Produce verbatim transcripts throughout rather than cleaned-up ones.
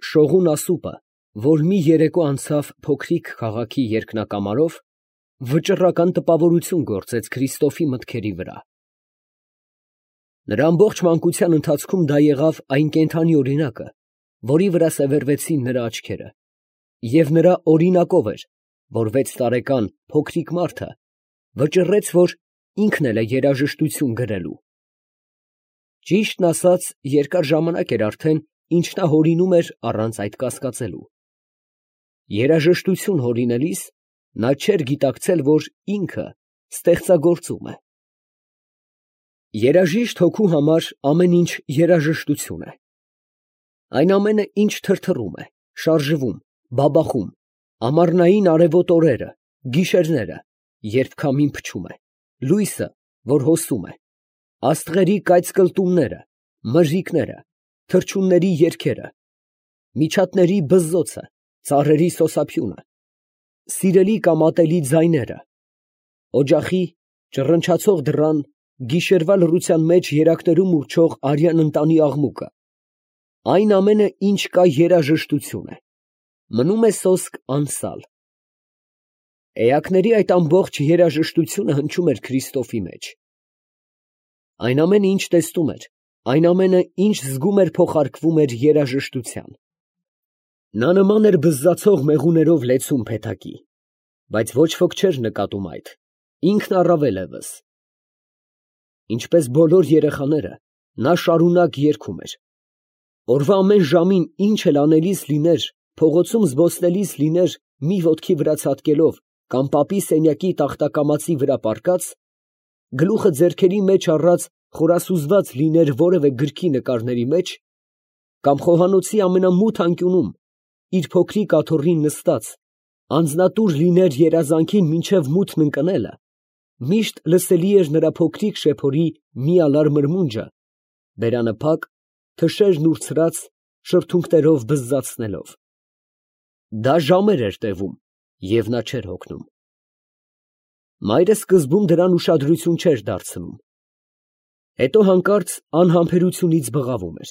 Շողուն ասուպը, որ մի երեկո անցավ փոքրիկ քաղաքի երկնակամարով, վճռական տպավորություն գործեց Քրիստոֆի մտքերի վրա։ Նրա ամբողջ մանկության ընթացքում դա եղավ այն կենդանի օրինակը, որի վրա սևեռվեցին նրա աչքերը, և նրա օրինակով էր, որ վեց տարեկան փոքրիկ մարդը վճռեց, որ ինքն էլ է երաժշտություն գրելու։ Ճիշտն ասած, երկար ժամանակ էր արդեն, ինչ նա հորինում էր առանց այդ կասկածելու։ Երաժշտություն հորինելիս նա չէր գիտակցել, որ ինքը ստեղծագործում է։ Երաժիշտ հոգու համար ամեն ինչ երաժշտություն է։ Այն ամենը, ինչ թրթռում է, շարժվում, բաբախում, ամառնային արևոտ օրերը, գիշերները, երբ քամին փչում է, լույսը, որ հոսում է, աստղերի կայծկլտումները, մրրիկները, թռչունների երգերը, միջատների բզզոցը, ծառերի սոսափյունը, սիրելի կամ ատելի ձայները, օջախի, ճռնչացող դռան, գիշերվա լռության մեջ երակներում ուռչող արյան ընտանի աղմուկը, այն ամենը, ինչ կա երաժշտություն է, մնում է սոսկ անսալ։ Էակների այդ ամբողջ երաժշտությունը հնչում էր Քրիստոֆի մեջ։ Այն ամենը, ինչ տեսնում էր, այն ամենը, ինչ զգում էր, փոխարկվում էր երաժշտության։ Նա նման էր բզզացող մեղուներով լեցուն փեթակի, բայց ոչ ոք չէր նկատում այդ, ինքն առավել ևս։ Ինչպես բոլոր երեխաները, նա շարունակ երգում էր։ Օրվա ամեն ժամին ինչ էլ անելիս լիներ, փողոցում զբոսնելիս լիներ մի ոտքի վրա ցատկելով կամ պապի սենյակի տախտակամածի վրա պառկած, գլուխը ձեռքերի մեջ առած խորասուզված լիներ որևէ գրքի նկարների մեջ, կամ խոհանոցի ամենամութ անկյունում իր փոքրիկ աթոռին նստած, անձնատուր լիներ երազանքին մինչև մութն ընկնելը, միշտ լսելի էր նրա փոքրիկ շեփորի միալար մրմունջը, բերանը փակ, թշերն ուրցրած, շրթունքներով բզզացնելով։ Դա ժամեր էր տևում, և նա չէր հոգնում։ Մայրը սկզբում դրան ուշադրություն չէր դարձնում, հետո հանկարծ անհամբերությունից բղավում էր։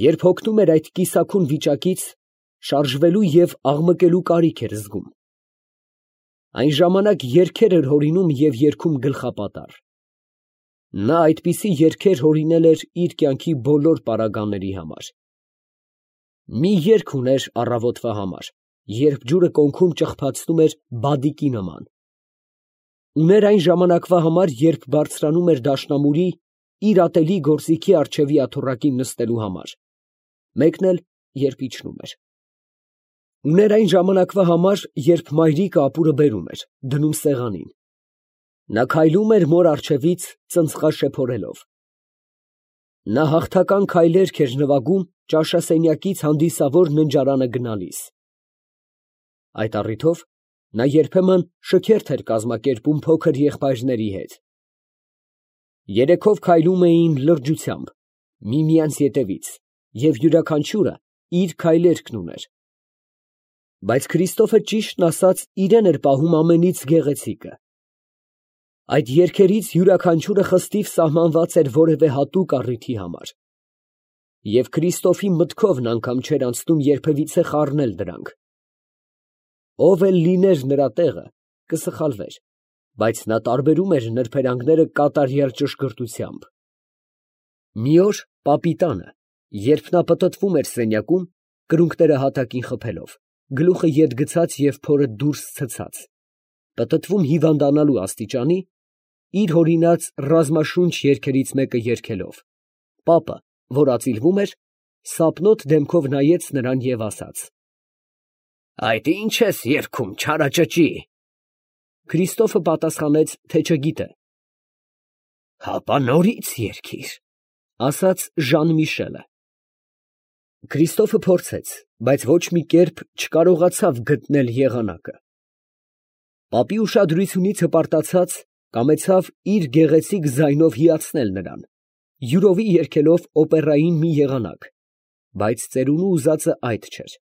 Երբ հոգնում էր այդ կիսաքուն վիճակից, շարժվելու և աղմկելու կարիք էր զգում։ Այն ժամանակ երգեր էր հորինում և երգում գլխապատառ։ Նա այդպիսի երգեր հորինել էր իր կյանքի բոլոր պարագաների համար։ Մի երգ ուներ առավոտվա համար, երբ ջուրը կոնքում ճխփացնում էր բադիկի նման։ Ուներ այն ժամանակվա համար, երբ բարձրանում էր դաշնամուրի իր ատելի գործիքի առջևի աթոռակին նստելու համար, մեկն էլ, երբ իջնում էր։ Ուներ այն ժամանակվա համար, երբ մայրիկը ապուրը բերում էր, դնում սեղանին։ Նա քայլում էր մոր առջևից ծնծղաշեփորելով։ Նա հաղթական քայլերք էր նվագում ճաշասենյակից հանդիսավոր ննջարանը գնալիս։ Այդ առիթով նա երբեմն շքերթ էր կազմակերպում փոքր եղբայրների հետ։ Երեքով քայլում էին լրջությամբ, միմյանց ետևից, և յուրաքանչյուրը իր քայլերքն ուներ։ Բայց Քրիստոֆը, ճիշտն ասած, իրան էր պահում ամենից գեղեցիկը։ Այդ երգերից յուրաքանչյուրը խստիվ սահմանված էր որևէ հատուկ առիթի համար, և Քրիստոֆի մտքովն անգամ չէր անցնում երբևիցե խառնել դրանք։ Ով էլ լիներ նրա տեղը, կսխալվեր, բայց նա տարբերում էր նրբերանգները կատարյալ ճշգրտությամբ։ Մի օր պապի տանը, երբ նա պտտվում էր սենյակում, կրունկները հատակին խփելով, գլուխը ետ գցած և փորը դուրս ցցած, պտտվում հիվանդանալու աստիճանի, իր հորինած ռազմաշունչ երգերից մեկը երգելով, պապը, որ ածիլվում էր, սապնոտ դեմքով նայեց նրան և ասաց. «Այդ ի՞նչ ես երգում, չարաճճի»։ Քրիստոֆը պատասխանեց, թե չգիտե։ «Հապա նորից երգիր», ասաց Ժան֊Միշելը։ Քրիստոֆը փորձեց, բայց ոչ մի կերպ չկարողացավ գտնել եղանակը։ Պապի ուշադրությունից հպարտացած, կամեցավ իր գեղեցիկ ձայնով հիացնել նրան, յուրովի երգելով օպերային մի եղանակ, բայց ծերունու ուզածը այդ չէր։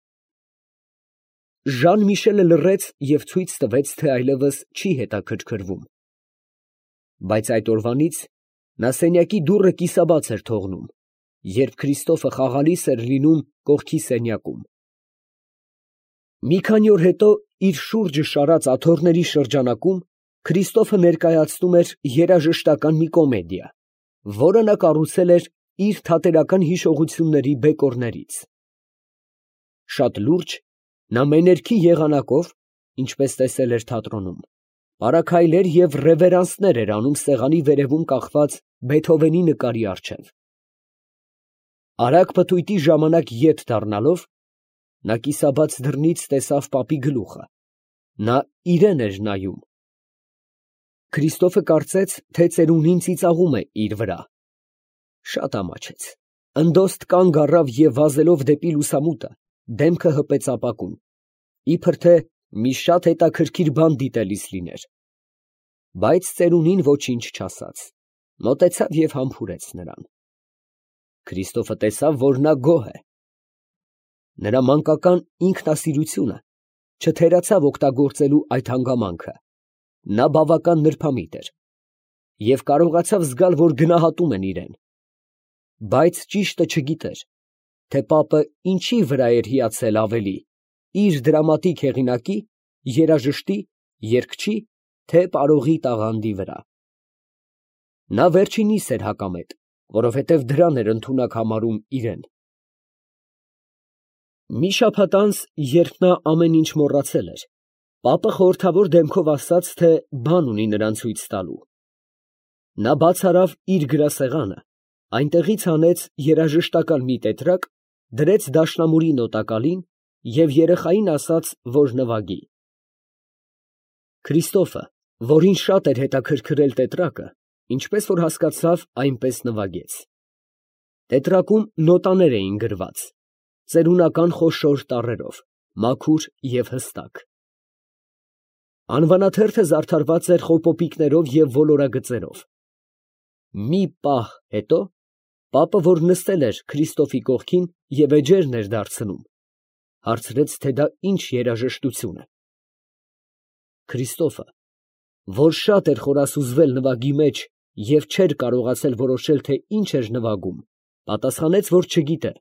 Ժան֊Միշելը լռեց և ցույց տվեց, թե այլևս չի հետաքրքրվում։ Բայց այդ օրվանից նա սենյակի դուռը կիսաբաց էր թողնում, երբ Քրիստոֆը խաղալիս էր լինում կողքի սենյակում։ Մի քանի օր հետո իր շուրջը շարած աթոռների շրջանակում Քրիստոֆը ներկայացնում էր երաժշտական մի կոմեդիա, որը նա կառուցել էր իր թատերական հիշողությունների բեկորներից։ Շատ լուրջ, նա մեներքի եղանակով, ինչպես տեսել էր թատրոնում, պարաքայլեր և ռևերանսներ էր անում սեղանի վերևում կախված Բեթհովենի նկարի առջև։ Արագ պտույտի ժամանակ ետ դառնալով, նա կիսաբաց դռնից տեսավ պապի գլուխը, նա իրան էր նայում։ Քրիստոֆը կարծեց, թե ծերունին ծիծաղում է իր վրա։ Շատ ամաչեց, ընդոստ կանգ առավ և վազելով դեպի լուսամուտը, դեմքը հպեց ապակուն, իբր թե մի շատ հետաքրքիր բան դիտելիս լիներ։ Բայց ծերունին ոչինչ չասաց, մոտեցավ և համբուրեց նրան։ Քրիստոֆը տեսավ, որ նա գոհ է։ Նրա մանկական ինքնասիրությունը չթերացավ օգտագործելու այդ հանգամանքը, նա բավական նրբամիտ էր և կարողացավ զգալ, որ գնահատում են իրեն, բայց ճիշտը չգիտեր, թե պապը ինչի վրա էր հիացել ավելի, իր դրամատիկ հեղինակի, երաժշտի, երգչի, թե պարողի տաղանդի վրա։ Նա վերջինիս էր հակամետ, որովհետև դրան էր ընդունակ համարում իրեն։ Մի շաբաթ անց, երբ նա ամեն ինչ մոռացել էր, պապը խորհրդավոր դեմքով ասաց, թե բան ունի նրան ցույց տալու։ Նա բաց արավ իր գրասեղանը, այնտեղից հանեց երաժշտական մի տետրակ, դրեց դաշնամուրի նոտակալին և երեխային ասաց, որ նվագի։ Քրիստոֆը, որին շատ էր հետաքրքրել տետրակը, ինչպես որ հասկացավ, այնպես նվագեց։ Տետրակում նոտաներ էին գրված, ծերունական խոշոր տառերով, մաքուր և հստակ։ Անվանաթերթը զարդարված էր խոպոպիկներով և ոլորագծերով։ Մի պահ հետո պապը, որ նստել էր Քրիստոֆի կողքին և էջերն էր դարձնում, հարցրեց, թե դա ինչ երաժշտություն է։ Քրիստոֆը, որ շատ էր խորասուզվել նվագի մեջ և չէր կարողացել որոշել, թե ինչ էր նվագում, պատասխանեց, որ չգիտե։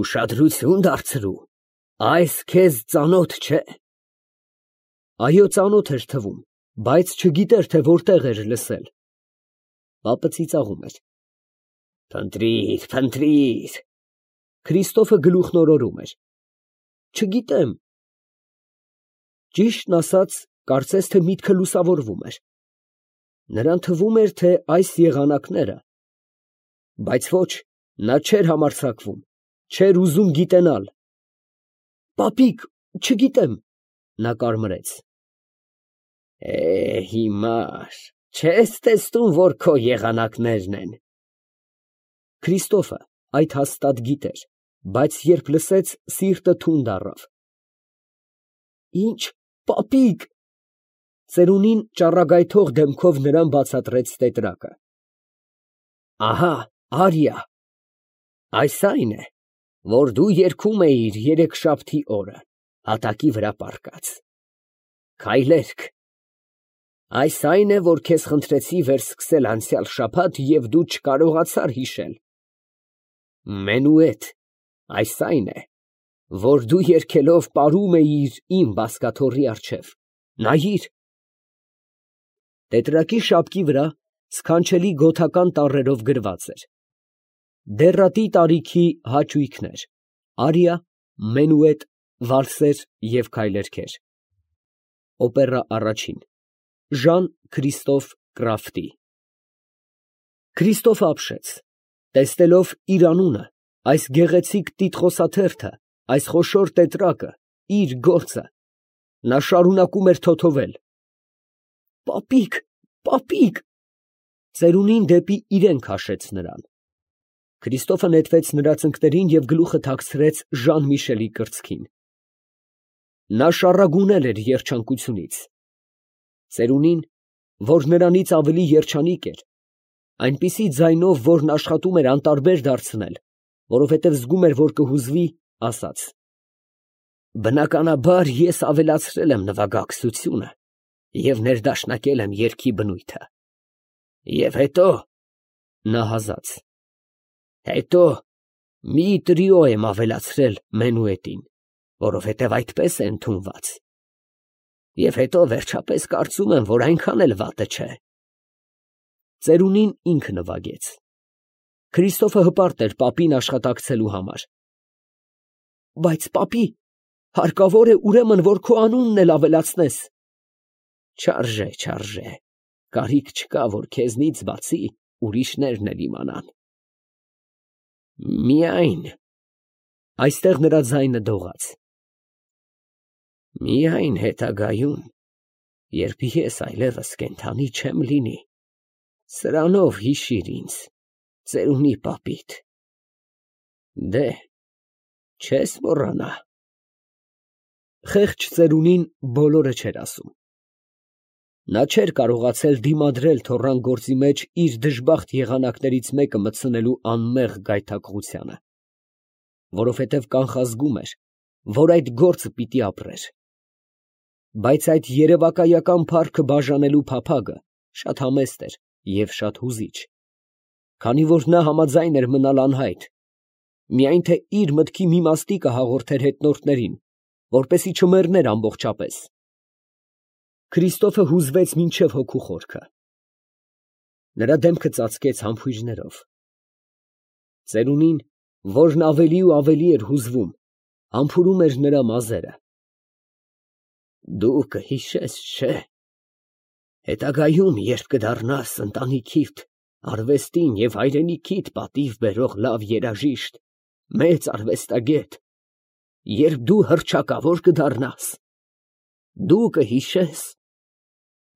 Ուշադրություն դարձրու, այս քեզ ծանոթ չէ։ Այո, ծանոթ էր թվում, բայց չգիտեր, թե որտեղ էր լսել։ Պապը ծիծաղում էր։ Փնտրիր, փնտրիր։ Քրիստոֆը գլուխն օրորում էր։ Չգիտեմ։ Ճիշտն ասած, կարծես թե միտքը լուսավորվում էր։ Նրան թվում էր, թե այս եղանակները, բայց ոչ, նա չէր համարձակվում, չէր ուզում գիտենալ։ Պապիկ, չգիտեմ, նա կարմրեց։ Է, հիմար, չես տեսնում, որ քո եղանակներն են։ Քրիստոֆը այդ հաստատ գիտեր, բայց երբ լսեց, սիրտը թունդ առավ։ Ինչ, պապիկ։ Ծերունին ճառագայթող դեմքով նրան բացատրեց տետրակը։ Ահա, արիա։ Այս այն է, որ դու երգում էիր երեքշաբթի օրը, հատակի վրա պառկած։ Քայլերգ։ Այս այն է, որ քեզ խնդրեցի վերսկսել անցյալ շաբաթ և դու չկարողացար հիշել։ Մենուետ։ Այս այն է, որ դու երգելով պարում էիր իմ բազկաթոռի առջև։ Նայիր։ Տետրակի շապկի վրա սքանչելի գոթական տառերով գրված էր. Դեռատի տարիքի հաճույքներ, արիա, մենուետ, վալսեր և քայլերգեր։ Օպերա առաջին, Ժան Քրիստոֆ Կրաֆտի։ Քրիստոֆը ապշեց, տեսնելով իր անունը, այս գեղեցիկ տիտղոսաթերթը, այս խոշոր տետրակը, իր գործը, նա շարունակում էր թոթովել. Պապիկ, պապիկ։ Ծերունին դեպի իրեն քաշեց նրան։ Քրիստոֆը նետվեց նրա ծնկներին և գլուխը թաքցրեց Ժան Միշելի կրծքին։ Նա շառագունել էր երջանկությունից։ Ծերունին, որ նրանից ավելի երջանիկ էր, այնպիսի ձայնով, որն աշխատում էր անտարբեր դարձնել, որովհետև զգում էր, որ կհուզվի, ասաց. Բնականաբար ես ավելացրել եմ նվագակցությունը և ներդաշնակել եմ երգի բնույթը։ Եվ հետո, նա հազաց, Հետո մի տրիո եմ ավելացրել մենուետին, որովհետև այդպես է ընդունված։ Եվ հետո վերջապես կարծում եմ, որ այնքան էլ վատը չէ։ Ծերունին ինքը նվագեց։ Քրիստոֆը հպարտ էր պապին աշխատակցելու համար։ Բայց պապի, հարկավոր է ուրեմն, որ քո անունն էլ ավելացնես։ Չարժե, չարժե, կարիք չկա, որ քեզնից բացի ուրիշներն էլ իմանան։ Միայն, այստեղ նրա ձայնը դողաց, միայն հետագայում, երբ ես այլևս կենդանի չեմ լինի, սրանով հիշիր ինձ, ծերունի պապիդ։ Դե, չես մոռանա։ Խեղճ ծերունին բոլորը չէր ասում։ Նա չէր կարողացել դիմադրել թոռան գործի մեջ իր դժբախտ եղանակներից մեկը մտցնելու անմեղ գայթակղությանը, որովհետև կանխազգում էր, որ այդ գործը պիտի ապրեր։ Բայց այդ երևակայական փառքը բաժանելու փափագը շատ համեստ էր և շատ հուզիչ, քանի որ նա համաձայն էր մնալ անհայտ, միայն թե իր մտքի մի մաստիկը հաղորդեր հետնորդներին, որպեսզի չմեռներ ամբողջապես։ Քրիստոֆը հուզվեց մինչև հոգու խորքը։ Նրա դեմքը ծածկեց համբույրներով։ Ծերունին, որն ավելի ու ավելի էր հուզվում, համբուրում էր նրա մազերը։ Դու կհիշես, չէ՞, հետագայում, երբ կդառնաս ընտանիքիդ, արվեստին և հայրենիքիդ պատիվ բերող լավ երաժիշտ, մեծ արվեստագետ, երբ դու հռչակավոր կդառնաս, դու կհիշես,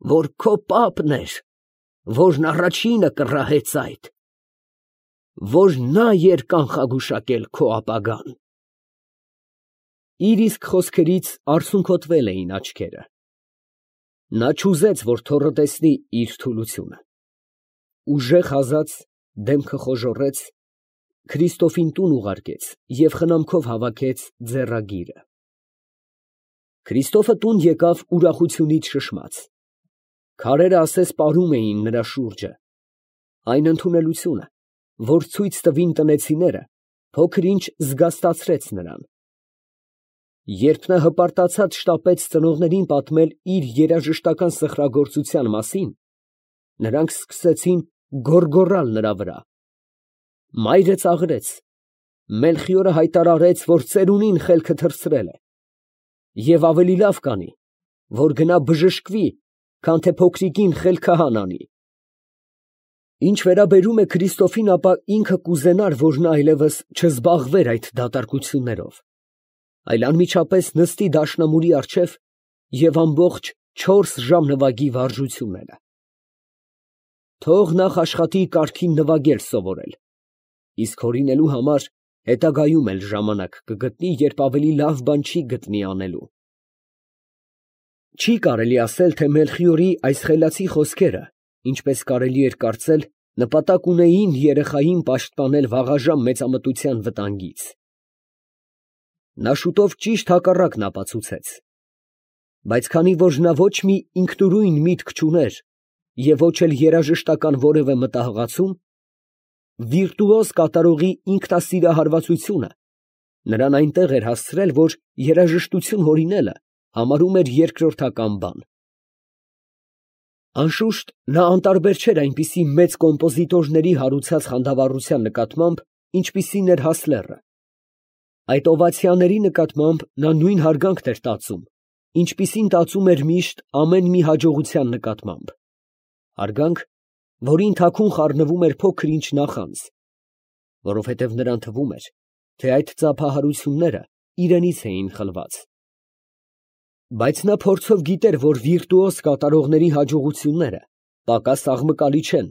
որ քո պապն էր, որն առաջինը կռահեց այդ, որ նա էր կանխագուշակել քո ապագան։ Իր իսկ խոսքերից արցունքոտվել էին աչքերը։ Նա չուզեց, որ թոռը տեսնի իր թուլությունը։ Ուժեղ հազած, դեմքը խոժոռեց, Քրիստոֆին տուն ուղարկեց և խնամքով հավաքեց ձեռագիրը։ Քրիստոֆը տուն եկավ ուրախությունից շշմած։ Քարերը ասես պարում էին նրա շուրջը։ Այն ընդունելությունը, որ ցույց տվին տնեցիները, փոքր-ինչ զգաստացրեց նրան։ Երբ նա հպարտացած շտապեց ծնողներին պատմել իր երաժշտական սխրագործության մասին, նրանք սկսեցին գոռգոռալ նրա վրա։ Մայրը ծաղրեց, Մելխիորը հայտարարեց, որ ծերունին խելքը թռցրել է, և ավելի լավ կանի, որ գնա բժշկվի, քան թե փոքրիկին խելքահան անի։ Ինչ վերաբերում է Քրիստոֆին, ապա ինքը կուզենար, որ նա այլևս չզբաղվեր այդ դատարկություններով, այլ անմիջապես նստի դաշնամուրի առջև և ամբողջ չորս ժամ նվագի վարժությունները։ Թող նախ աշխատի կարգին նվագել սովորել, իսկ հորինելու համար հետագայում էլ ժամանակ կգտնի, երբ ավելի լավ բան չի գտնի անելու։ Չի կարելի ասել, թե Մելխիորի այս խելացի խոսքերը, ինչպես կարելի էր կարծել, նպատակ ունեին երեխային պաշտպանել վաղաժամ մեծամտության վտանգից։ Նա շուտով ճիշտ հակառակն ապացուցեց։ Բայց քանի որ նա ոչ մի ինքնուրույն միտք չուներ և ոչ էլ երաժշտական որևէ մտահղացում, վիրտուոզ կատարողի ինքնասիրահարվածությունը նրան այնտեղ էր հասցրել, որ երաժշտություն հորինելը համարում էր երկրորդական բան։ Անշուշտ, նա անտարբեր չէր այնպիսի մեծ կոմպոզիտորների հարուցած խանդավառության նկատմամբ, ինչպիսին էր Հասլերը։ Այդ օվացիաների նկատմամբ նա նույն հարգանքն էր տածում, ինչպիսին տածում էր միշտ ամեն մի հաջողության նկատմամբ, հարգանք, որին թաքուն խառնվում էր փոքր-ինչ նախանձ, որովհետև նրան թվում էր, թե այդ ծափահարությունները իրենից էին խլված։ Բայց նա փորձով գիտեր, որ վիրտուոզ կատարողների հաջողությունները պակաս աղմկալի չեն,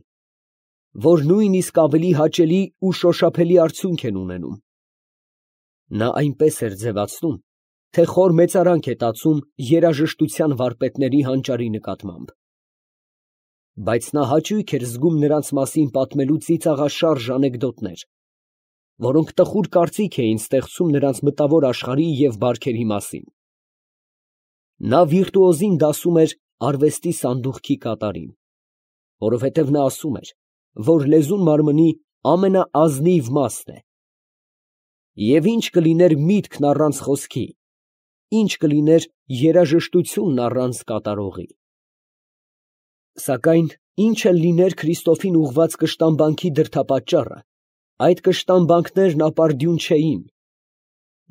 որ նույնիսկ ավելի հաճելի ու շոշափելի արդյունք են ունենում։ Նա այնպես էր ձևացնում, թե խոր մեծարանք է տածում երաժշտության վարպետների հանճարի նկատմամբ։ Բայց նա հաճույք էր զգում նրանց մասին պատմելու ծիծաղաշարժ անեկդոտներ, որոնք տխուր կարծիք էին ստեղծում նրանց մտավոր աշխարհի և բարքերի մասին։ Նա վիրտուոզին դասում էր արվեստի սանդուղքի կատարին, որովհետև նա ասում էր, որ լեզուն մարմնի ամենաազնիվ մասն է։ Եվ ինչ կլիներ միտքն առանց խոսքի, ինչ կլիներ երաժշտությունն առանց կատարողի։ Սակայն ինչ էլ լիներ Քրիստոֆին ուղված կշտամբանքի դրդապատճառը, այդ կշտամբանքներն ապարդյուն չէին.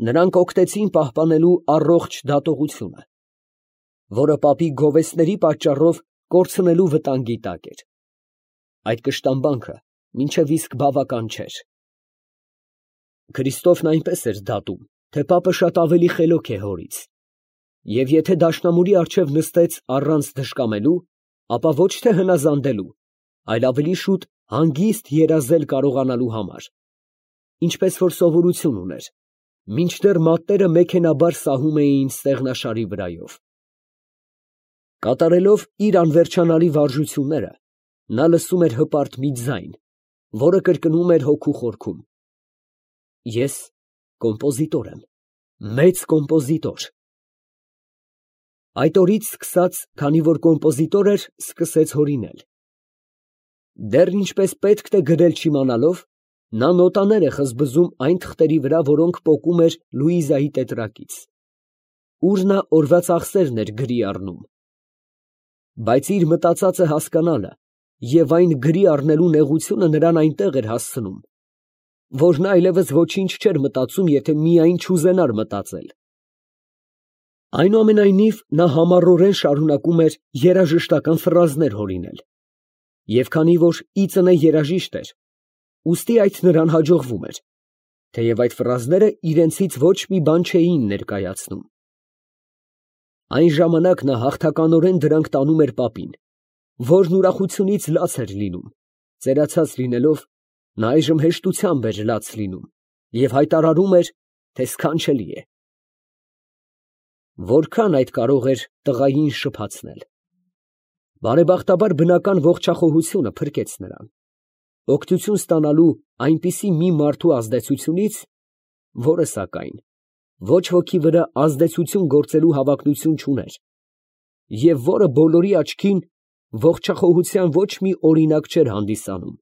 նրանք օգտեցին պահպանելու առողջ դատողությունը, որը պապի գովեստների պատճառով կորցնելու վտանգի տակ էր։ Այդ կշտամբանքը մինչև իսկ բավական չէր։ Քրիստոֆն այնպես էր դատում, թե պապը շատ ավելի խելոք է հորից, և եթե դաշնամուրի առջև նստեց առանց դժկամելու, ապա ոչ թե հնազանդելու, այլ ավելի շուտ հանգիստ երազել կարողանալու համար, ինչպես որ սովորություն ուներ, մինչդեռ մատները մեքենաբար սահում էին ստեղնաշարի վրայով։ Կատարելով իր անվերջանալի վարժությունները, նա լսում էր հպարտ մի ձայն, որը կրկնում էր հոգու խորքում. «Ես կոմպոզիտոր եմ, մեծ կոմպոզիտոր»։ Այդ օրից սկսած, քանի որ կոմպոզիտոր էր, սկսեց հորինել։ Դեռ ինչպես պետք է գրել չիմանալով, նա նոտաներ է խզբզում այն թղթերի վրա, որոնք պոկում էր Լուիզայի տետրակից, ուր նա օրվա ծախսերն էր գրի առնում։ Բայց իր մտածածը հասկանալը և այն գրի առնելու նեղությունը նրան այնտեղ էր հասցնում, որ նա այլևս ոչինչ չէր մտածում, եթե միայն չուզենար մտածել։ Այնուամենայնիվ, նա համառորեն շարունակում էր երաժշտական ֆրազներ հորինել, և քանի որ ի ծնե երաժիշտ էր, ուստի այդ նրան հաջողվում էր, թեև այդ ֆրազները իրենցից ոչ մի բան չէին ներկայացնում։ Այն ժամանակ նա հաղթականորեն դրանք տանում էր պապին, որն ուրախությունից լաց էր լինում, ծերացած լինելով, նա այժմ հեշտությամբ էր լաց լինում և հայտարարում էր, թե սքանչելի է։ Որքան այդ կարող էր տղային շփացնել։ Բարեբախտաբար բնական ողջախոհությունը փրկեց նրան, օգնություն ստանալու այնպիսի մի մարդու ազդեցությունից, որը, սակայն, ոչ ոքի վրա ազդեցություն գործելու հավակնություն չուներ, և որը բոլորի աչքին ողջախոհության ոչ մի օրինակ չէր հանդիսանում։